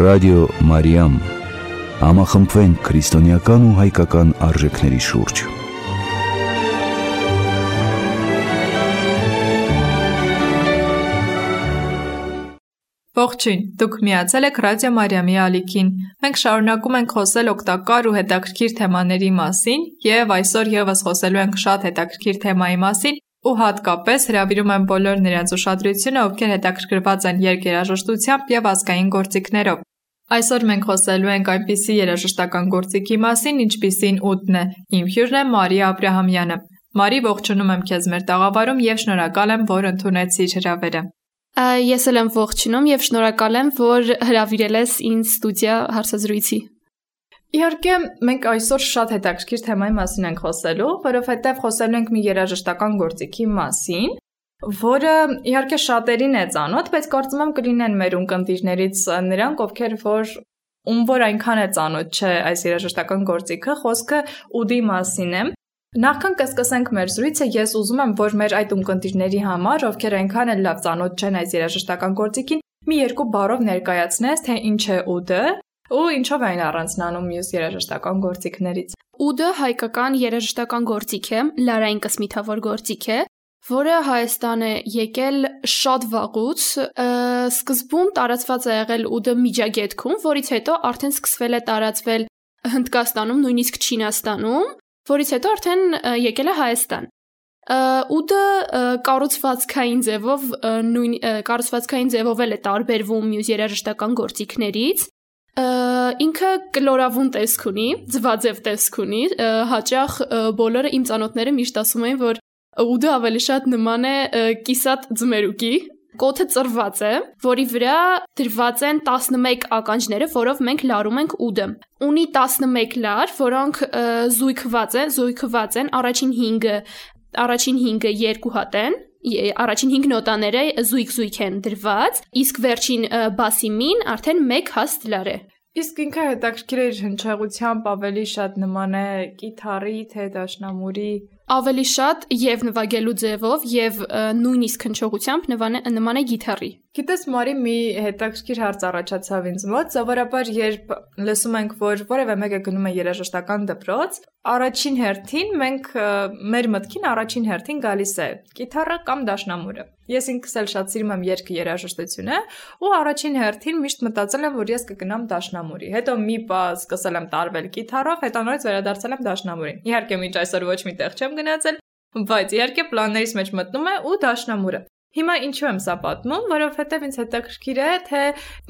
Ռադիո Մարիամ, համախմբվենք քրիստոնեական ու հայկական արժեքների շուրջ։ Ողջույն, դուք միացել եք Ռադիո Մարիամի ալիքին։ Մենք շարունակում ենք խոսել օգտակար ու հետաքրքիր թեմաների մասին և այսօր ևս խոսելու ենք շատ հետաքրքիր թեմայի մասին ու հատկապես հրավիրում եմ բոլոր նրանց ուշադրությունը, ովքեր հետաքրքրված են երկերաժշտությամբ և ազգային գործիքներով։ Այսօր մենք խոսելու ենք այնպիսի երաժշտական գործիքի մասին, ինչպիսին ուդն է։ Իմ հյուրն է Մարիա Աբրահամյանը։ Մարի, ողջունում եմ քեզ մեր տաղավարում և շնորհակալ եմ, որ ընդունեցիր հրավերը։ Ես էլ եմ ողջունում և շնորհակալ եմ, որ հրավիրել ես ինձ ստուդիա հարցազրույցի։ Իհարկե, մենք այսօր շատ հետաքրքիր թեմայի մասին ենք խոսելու, որովհետև խոսելու ենք մի երաժշտական գործիքի մասին, որը իհարկե շատերին է ծանոթ, բայց կարծում եմ կլինեն մեր ունկնդիրներից նրանք, ում որ այնքան է ծանոթ չէ այս երաժշտական գործիքը, խոսքը ուդի մասին է։ Նախքան կսկսենք մեր զրույցը, ես ուզում եմ, որ մեր այդ ունկնդիրների համար, ովքեր այնքան էլ լավ ծանոթ չեն այս երաժշտական գործիքին, մի երկու բառով ներկայացնես, թե ինչ է ուդը ու ինչով այն առանձնանում մյուս երաժշտական գործիքներից։ Ուդը հայկական երաժշտական գործիք է, լարային կսմիթավոր գործիք է, որը Հայաստան է եկել շատ վաղուց, սկզբում տարածված է եղել ուդը Միջագետքում, որից հետո արդեն սկսվել է տարածվել Հնդկաստանում, նույնիսկ Չինաստանում, որից հետո արդեն եկել է Հայաստան։ Ուդը կառուցվածքային ձևով էլ է տարբերվում մյուս երաժշտական գործիքներից։ Ինքը կլորավուն տեսք ունի, ձվաձև տեսք ունի, հաճախ բոլորը իմ ծանոթները միշտ ասում են, որ ուդը ավելի շատ նման է կիսատ ձմերուկի։ Կոթը ծրված է, որի վրա դրված են 11 ականջները, որով մենք լարում ենք ուդը։ Ունի 11 լար, որոնք զույգված են, առաջին 5-ը 2 հատ են, առաջին 5 նոտաները զույգ են դրված, իսկ վերջին բասի մին արդեն 1 հաստ լար է։ Իսկ ինքը հետաքրքիր է իր հնչեղությամբ ավելի շատ նման է կիթառի, թե դաշնամուրի։ Ավելի շատ և նվագելու ձևով և նույնիսկ հնչողությամբ նման է գիթառի։ Գիտես, Մարի, մի հետաքրքիր հարց առաջացավ ինձ մոտ, սովորաբար երբ լսում ենք, որ որևէ մեկը գնում է երաժշտական դպրոց, առաջին հերթին մեր մտքին առաջին հերթին գալիս է կիթառը կամ դաշնամուրը։ Ես ինքս էլ շատ սիրում եմ երգ երաժշտությունը ու առաջին հերթին միշտ մտածել եմ, որ ես կգնամ դաշնամուրի։ Հետո մի պահ սկսել եմ տարվել կիթառով, հետո նորից վերադարձել եմ դաշնամուրին։ Իհարկե, մինչ այսօր ոչ մի տեղ չեմ գնացել, բայց իհարկե պլաններից մեջ մտնում է ու դաշնամուրը։ Հիմա ինչու եմ սա պատմում, որովհետև ինձ հետաքրքիր է, թե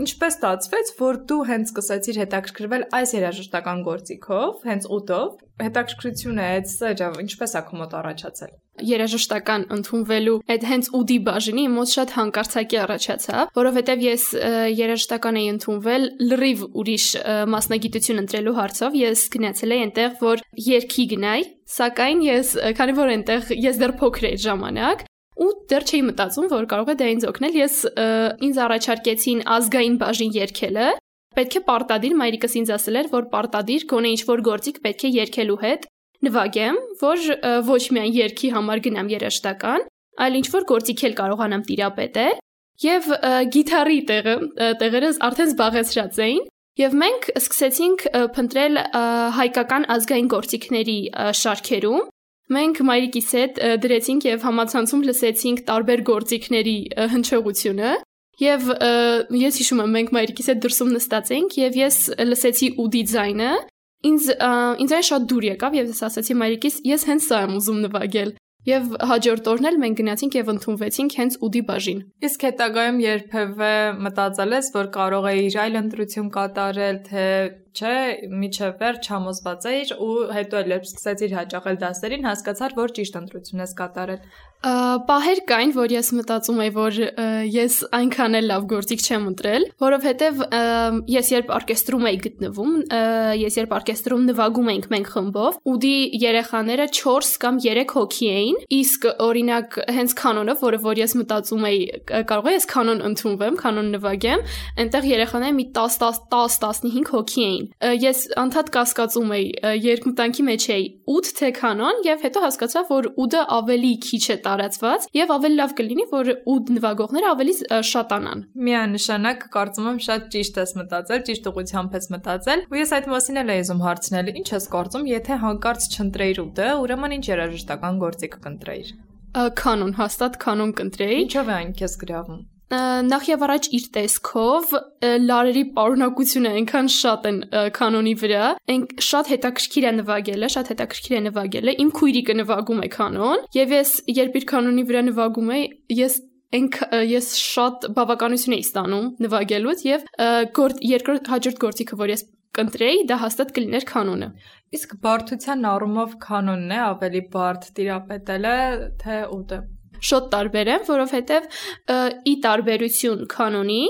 ինչպես ստացվեց, որ դու հենց սկսեցիր հետաքրքրվել այս երաժշտական գործիքով, հենց ուդով, հետաքրքրությունը այդ սերը ինչպես է քո մոտ առաջացել։ Երաժշտական ընդունվելու այդ հենց ուդի բաժինի մոտ շատ հանկարծակի առաջացավ, որովհետև ես երաժշտական էի ընդունվել լրիվ ուրիշ մասնագիտություն ընտրելու հարցով, ես գնացել էի այնտեղ, որ երգի գնայի, սակայն քանի որ այնտեղ ես դեռ փոքր էի ժամանակ, ու դեռ չէի մտածում, որ կարող է դա ինձ օգնել, ինձ առաջարկեցին ազգային բաժին երգելը, պետք է պարտադիր, մայրիկս ինձ ասել էր, որ պարտադիր գոնե ինչ-որ գործիք պետք է երգելու հետ նվագեմ, որ ոչ միայն երգի համար գնամ երաժշտական, այլ ինչ-որ գործիք էլ կարողանամ տիրապետել, և գիթառի տեղերը արդեն զբաղեցրած էին, և մենք սկսեցինք փնտրել հայկական ազգային գործիքների շարքերում, մենք մայրիկիս հետ դրեցինք և համացանցում լսեցինք տարբեր գործիքների հնչողությունը և ես հիշում եմ, մենք մայրիկիս հետ դրսում նստած էինք և ես լսեցի ուդի ձայնը, ինձ այն շատ դուր եկավ և ես ասացի մայրիկիս, ես հենց սա եմ ուզում նվագել և հաջորդ օրն էլ մենք գնացինք և ընդունվեցինք հենց ուդի բաժին։ Իսկ հետագայում երբևէ մտածել ես, որ կարող էիր այլ ընտրություն կատարել, թե չէ, մինչև վերջ համոզված էիր ու հետո էլ երբ սկսեցիր հաճախել դասերին, հասկացար, որ ճիշտ ընտրություն ես կատարել։ Պահեր կային, որ ես մտածում էի, որ ես այնքան էլ լավ գործիք չեմ ընտրել, որովհետև ես երբ օրկեստրում էի գտնվում, երբ օրկեստրում նվագում էինք մենք խմբով, ուդի երեխաները 4 կամ 3 հոգի էին, իսկ օրինակ հենց կանոնով, որ ես մտածում էի, կարող է ես կանոն ընդունվեմ, կանոն նվագեմ, այնտեղ երեխաները մի 10-15 հոգի էին։ կանոնին։ Ես անդադ կասկածում էի, երկմտանքի մեջ էի ուդ թե կանոն, եւ հետո հասկացա, որ ուդը ավելի քիչ է տարածված եւ ավելի լավ կլինի, որ ուդ նվագողները ավելի շատանան։ Միանշանակ կարծում եմ շատ ճիշտ ես մտածել, ճիշտ ուղղությամբ ես մտածել։ Ու ես այդ մասին էլ էի ուզում հարցնել, ինչ ես կարծում, եթե հանկարծ չընտրեիր ուդը, ուրեմն ինչ երաժշտական գործիք կընտրեիր։ Կանոն, հաստատ կանոն կընտրեի։ Ինչով է այն քեզ գրավում։ Նախ եւ առաջ իր տեսքով լարերի պարունակությունը այնքան շատ են կանոնի վրա, շատ հետաքրքիր է նվագելը, իմ քույրիկը նվագում է կանոն, եւ ես երբ իր կանոնի վրա նվագում էի, ես շատ բավականություն էի ստանում նվագելուց եւ հաջորդ գործիքը, որ ես կընտրեի, դա հաստատ կլիներ կանոնը։ Իսկ բարդության առումով կանոնն է ավելի բարդ տիրապետելը, թե ուդը։ Շատ տարբեր են, որովհետև ի տարբերություն կանոնի,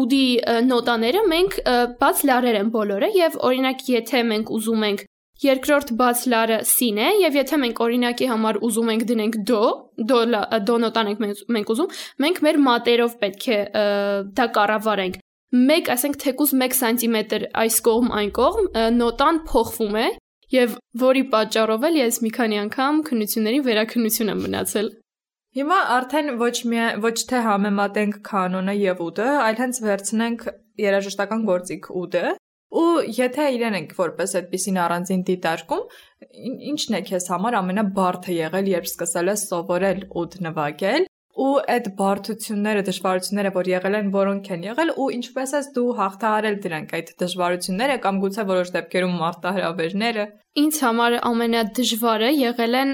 ուդի նոտաները մենք բաց լարեր են բոլորը եւ օրինակ եթե մենք ուզում ենք երկրորդ բաց լարը սին է եւ եթե մենք օրինակի համար ուզում ենք դնենք դո նոտան ենք ուզում, մենք մեր մատերով պետք է դա կառավարենք։ Ասենք թեկուզ 1 սանտիմետր այս կողմ այն կողմ նոտան փոխվում է եւ որի պատճառով էլ ես մի քանի անգամ քննությունների վերաքննություն եմ մնացել։ Հիմա արդեն ոչ թե համեմատենք կանոնը եւ ուդը, այլ հենց վերցնենք երաժշտական գործիք ուդը, ու եթե իրեն ենք որպես այդպեսին առանձին դիտարկում, ինչն է քեզ համար ամենաբարդը եղել, երբ սկսել ես սովորել ուդ նվագել, ու այդ բարդությունները, դժվարությունները, որ եղել են, որոնք են եղել, ու ինչպես ես դու հաղթահարել դրանք այդ դժվարությունները կամ գուցե որոշ դեպքերում մարտահրավերները։ Ինձ համար ամենադժվարը եղել են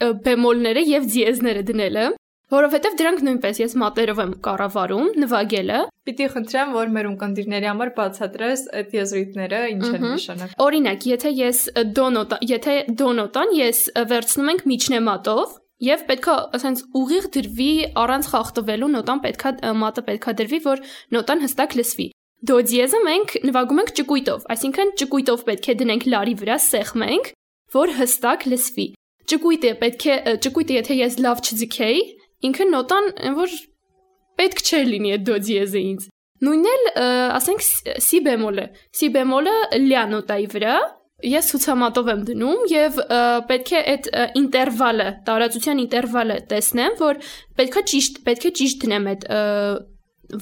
բեմոլները եւ դիեզները դնելը, որովհետեւ դրանք նույնպես ես մատերով եմ կառավարում նվագելը։ Պիտի խնդրեմ, որ մեր ունկնդիրների համար բացատրես այդ եզրույթները ինչ են նշանակում։ Օրինակ, եթե դո նոտան ես վերցնում ենք միջնեմատով եւ պետքա ասենց ուղիղ դրվի առանց խախտվելու մատը պետքա դրվի, որ նոտան հստակ լսվի։ Դո դիեզը մենք նվագում ենք ճկույտով, այսինքն ճկույտով պետք է դնենք լարի վրա, սեղմենք, որ հստակ լսվի։ Ճկույտը եթե ես լավ չձգեի, ինքը նոտան, որ պետք չէր լինի այդ դո դիեզը ինձ։ Նույնն էլ, ասենք, սի բեմոլը լյա նոտայի վրա, ես ցուցամատով եմ դնում եւ պետք է այդ ինտերվալը, տարածության ինտերվալը տեսնեմ, որ պետք է ճիշտ դնեմ այդ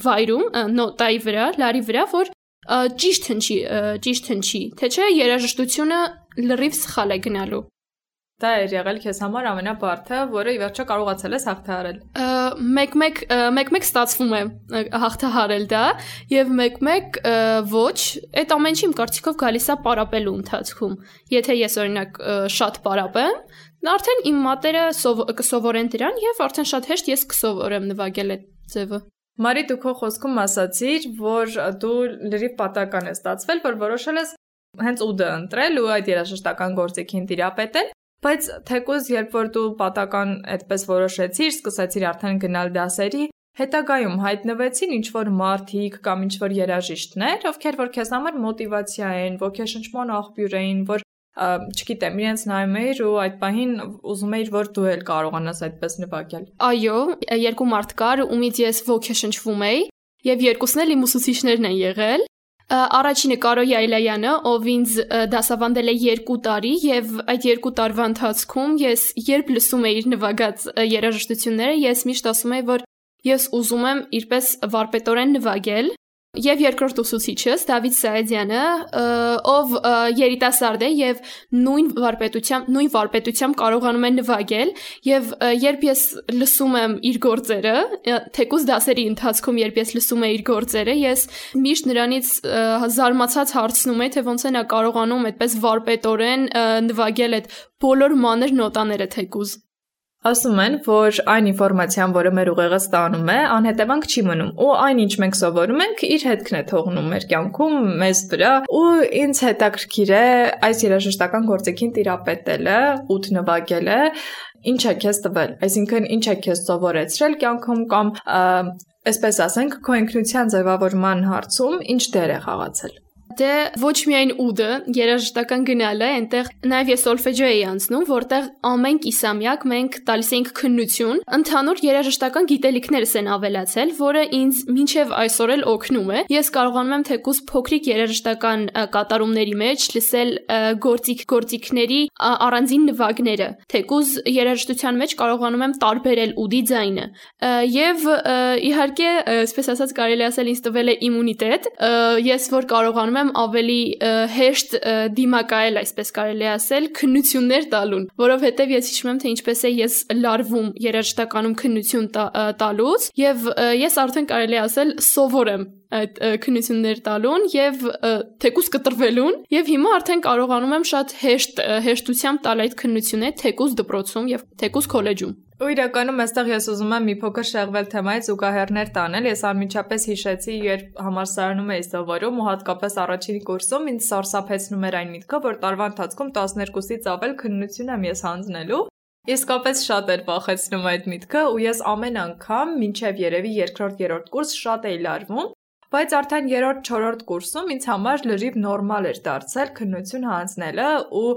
վայրում, նոտայի վրա, լարի վրա, որ ճիշտ հնչի, թե չէ երաժշտությունը լրիվ սխալ է գնալու։ Դա էր եղել քեզ համար ամենաբարդը, որը ի վերջո կարողացել ես հաղթահարել։ Մեկ-մեկ ստացվում է հաղթահարել դա, եւ մեկ-մեկ ոչ, այդ ամեն ինչի իմ կարծիքով գալիս է պարապելու ընթացքում։ Եթե ես օրինակ շատ պարապեմ, արդեն իմ մատերը կսովորեն դրան եւ արդեն շատ հեշտ ես կսովորեմ նվագել այդ ձևը։ Մարի, դու քո խոսքում ասացիր, որ դու լրիվ պատական ես ստացվել, որ որոշել ես հենց ուդը ընտրել ու այդ երաժշտական գործիքին տիրապետել։ Բայց թեկուզ երբ որ դու պատական այդպես որոշեցիր, սկսեցիր արդեն գնալ դասերի, հետագայում հայտնվեցին ինչ-որ մարդիկ կամ ինչ-որ երաժիշտներ, ովքեր որ քեզ համար մոտիվացիա են, ոգեշնչման աղբյուր էին, որ չգիտեմ, իրենց նայում էիր ու այդ պահին ուզում էիր, որ դու էլ կարողանաս այդպես նվագել։ Այո, երկու մարդ կար, ումից ես ոգեշնչվում էի, եւ երկուսն էլ իմ ուսուցիչներն են եղել։ Առաջինը Կարո Յայլայանը, ով ինձ դասավանդել է 2 տարի եւ այդ 2 տարվա ընթացքում ես երբ լսում էի իր նվագած երաժշտությունները, ես միշտ ասում էի, որ ես ուզում եմ իրպես վարպետորեն նվագել։ Եվ երկրորդ ուսուցիչս Դավիթ Սայեդյանը, ով երիտասարդ է եւ նույն վարպետությամբ կարողանում է նվագել, եւ երբ ես լսում եմ իր գործերը, թեկուզ դասերի ընթացքում երբ ես լսում եմ իր գործերը, ես միշտ նրանից զարմացած հարցնում եմ, թե ոնց է նա կարողանում այդպես վարպետորեն նվագել այդ բոլոր մանր նոտաները թեկուզ։ Ասում են, որ այն ինֆորմացիան, որը մեր ուղեղը ստանում է, անհետևանք չի մնում, ու այն ինչ մենք սովորում ենք, իր հետքն է թողնում մեր կյանքում, մեզ վրա, ու ինձ հետաքրքիր է այս երաժշտական գործիքին տիրապետելը, ուդ նվագելը, ինչ է քեզ տվել, այսինքն ինչ է քեզ սովորեցրել կյանքում կամ այսպես ասենք, քո ինքնության ձևավորման հարցում ինչ դեր է խաղացել։ Դե ոչ միայն ուդը, երաժշտական գնալը, այնտեղ նաև ես սոլֆեջո էի անցնում, որտեղ ամեն կիսամյակ մենք տալիս էինք քննություն, ընդհանուր երաժշտական գիտելիքներս են ավելացել, որը ինձ մինչև այսօր էլ օգնում է։ Ես կարողանում եմ թեկուզ փոքրիկ երաժշտական կատարումների մեջ լսել գործիքների առանձին նվագները, թեկուզ երաժշտության մեջ կարողանում եմ տարբերել ուդի ձայնը։ Եվ իհարկե, այսպես ասած, կարելի ասել ինձ տվել է իմունիտետ, ես որ կարողանում եմ ավելի հեշտ դիմակայել, այսպես կարելի ասել, քննություններ տալուն, որովհետև ես հիշում եմ, թե ինչպես է ես լարվում երաժշտականում քննություն տալուց, եւ ես արդեն կարելի ասել սովոր եմ այդ քննություններ տալուն եւ թեկուզ կտրվելուն, եւ հիմա արդեն կարողանում եմ շատ հեշտությամբ տալ այդ քննությունը թեկուզ դպրոցում եւ թեկուզ քոլեջում։ Ու իրականում այստեղ ես ուզում եմ մի փոքր շեղվել թեմայից ու գահեռներ տանել։ Ես անմիջապես հիշեցի, երբ համալսարանում էի սովորում ու հատկապես առաջին կուրսում ինձ սարսափեցնում էր այն միտքը, որ տարվա ընթացքում 12-ից ավել քննություն եմ ես հանձնելու։ Իսկապես շատ էր վախեցնում այդ միտքը ու ես ամեն անգամ մինչև երևի 2-3 կուրս շատ էի լարվում, բայց արդեն 3-4 կուրսում ինձ համար լրիվ նորմալ էր դարձել քննություն հանձնելը ու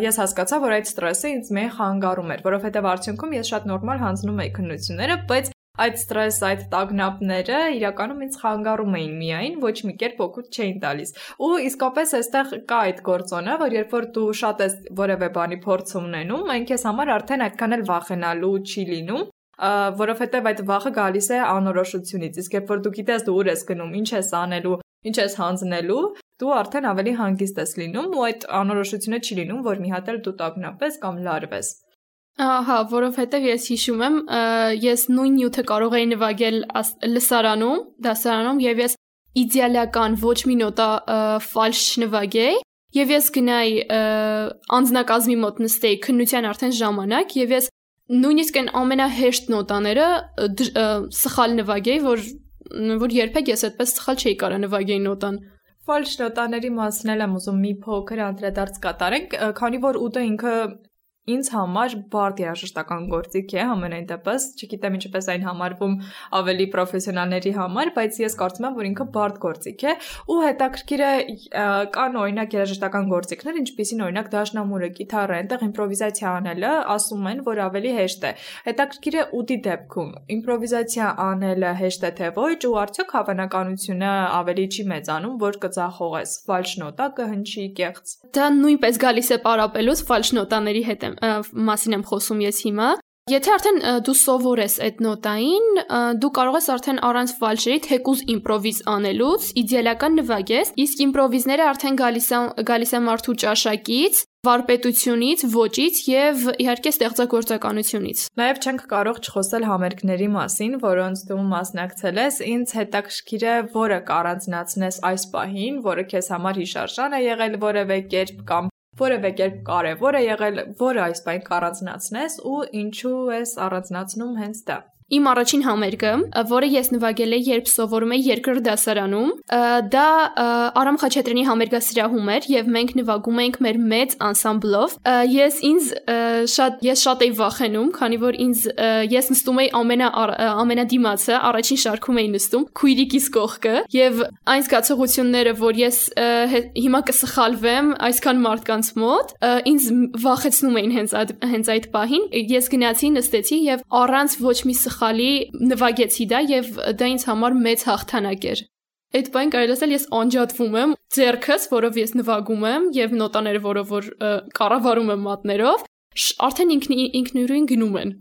ես հասկացա, որ այդ ստրեսը ինձ մեկ խանգարում էր, որովհետև արդյունքում ես շատ նորմալ հանձնում էի քննությունները, բայց այդ ստրես, այդ տագնապները իրականում ինձ խանգարում էին միայն, ոչ մի կերպ օգուտ չէին տալիս։ Ու իսկապես այստեղ կա այդ գործոնը, որ երբ որ դու շատ ես որևէ բանի փորձ ունենում, այն քեզ համար արդեն այդքան էլ վախենալու չի լինում, որովհետև այդ վախը գալիս է անորոշությունից, իսկ երբ որ դու գիտես դու ուր ես գնում, ինչ ես անելու, ինչ ես հանձնելու, դու արդեն ավելի հանգիստ ես լինում ու այդ անորոշությունը չի լինում, որ մի հատ էլ դու տագնապես կամ լարվես։ Ահա, որովհետև ես հիշում եմ, ես նույն նյութը կարող էի նվագել լսարանում, դասարանում եւ ես իդեալական ոչ մի նոտա ֆալշ չնվագեի եւ ես գնայի անձնակազմի մոտ նստեի քննության արդեն ժամանակ եւ ես նույնիսկ այն ամենահեշտ նոտաները սխալ նվագեի, որ երբեք ես այդպես սխալ չէի կարող նվագեի նոտան։ Ֆալշ նոտաների մասին եմ ուզում մի փոքր անդրադարձ կատարենք, քանի որ ուտը ինքը ինձ համար բարդ երաժշտական գործիք է համենայն դեպս, չգիտեմ ինչպես այն համարվում ավելի պրոֆեսիոնալների համար, բայց ես կարծում եմ, որ ինքը բարդ գործիք է ու հետաքրքիր է կան օրինակ երաժշտական գործիքներ, ինչպիսին օրինակ դաշնամուրը, կիթառը, այնտեղ իմպրովիզացիա անելը ասում են, որ ավելի հեշտ է։ Հետաքրքիր է ուտի դեպքում իմպրովիզացիա անելը հեշտ է թե ոչ ու արդյոք հավանականությունը ավելի չի մեծանում, որ կձախողես, ֆալշ նոտա կհնչի կեղծ։ Դա նույնպես գալիս է պարապելուց ֆալշ նոտաների հետ մասին եմ խոսում ես հիմա։ Եթե արդեն դու սովոր ես այդ նոտային, դու կարող ես արդեն առանց ֆալշերի թեկուզ իմպրովիզ անելուց իդեալական նվագես, իսկ իմպրովիզները արդեն գալիս է մարդու ճաշակից, վարպետությունից, ոճից եւ իհարկե ստեղծագործականությունից։ Նաեւ չենք կարող չխոսել համերգների մասին, որոնց դու մասնակցել ես։ Ինձ հետաքրքիր է, որը կառանձնացնես այս պահին, որը քեզ համար հիշարժան է եղել որևէ կերպ կամ որևէ կերպ կարևոր է եղել, որը այս պահին կառանձնացնես ու ինչու ես առանձնացնում հենց դա։ Իմ առաջին համերգը, որը ես նվագել եմ, երբ սովորում էի երկրորդ դասարանում, դա Արամ Խաչատրյանի համերգասրահում էր եւ մենք նվագում էինք մեր մեծ անսամբլով։ Ես շատ էի վախենում, քանի որ ես նստում էի ամենադիմացը, առաջին շարքում էի նստում, քույրիկիս կողքը եւ այն զգացողությունները, որ ես հիմա կսխալվեմ այսքան մարդկանց մոտ, ինձ վախեցնում էին հենց այդ պահին։ Ես գնացի, նստեցի եւ առանց ոչ մի խալի նվագեցի դա եւ դա ինձ համար մեծ հաղթանակ էր։ Այդ բան կարելի ասել ես անջատվում եմ ձեռքս, որով ես նվագում եմ եւ նոտաները, որով որ կառավարում եմ մատներով, արդեն ինքնուրույն գնում են։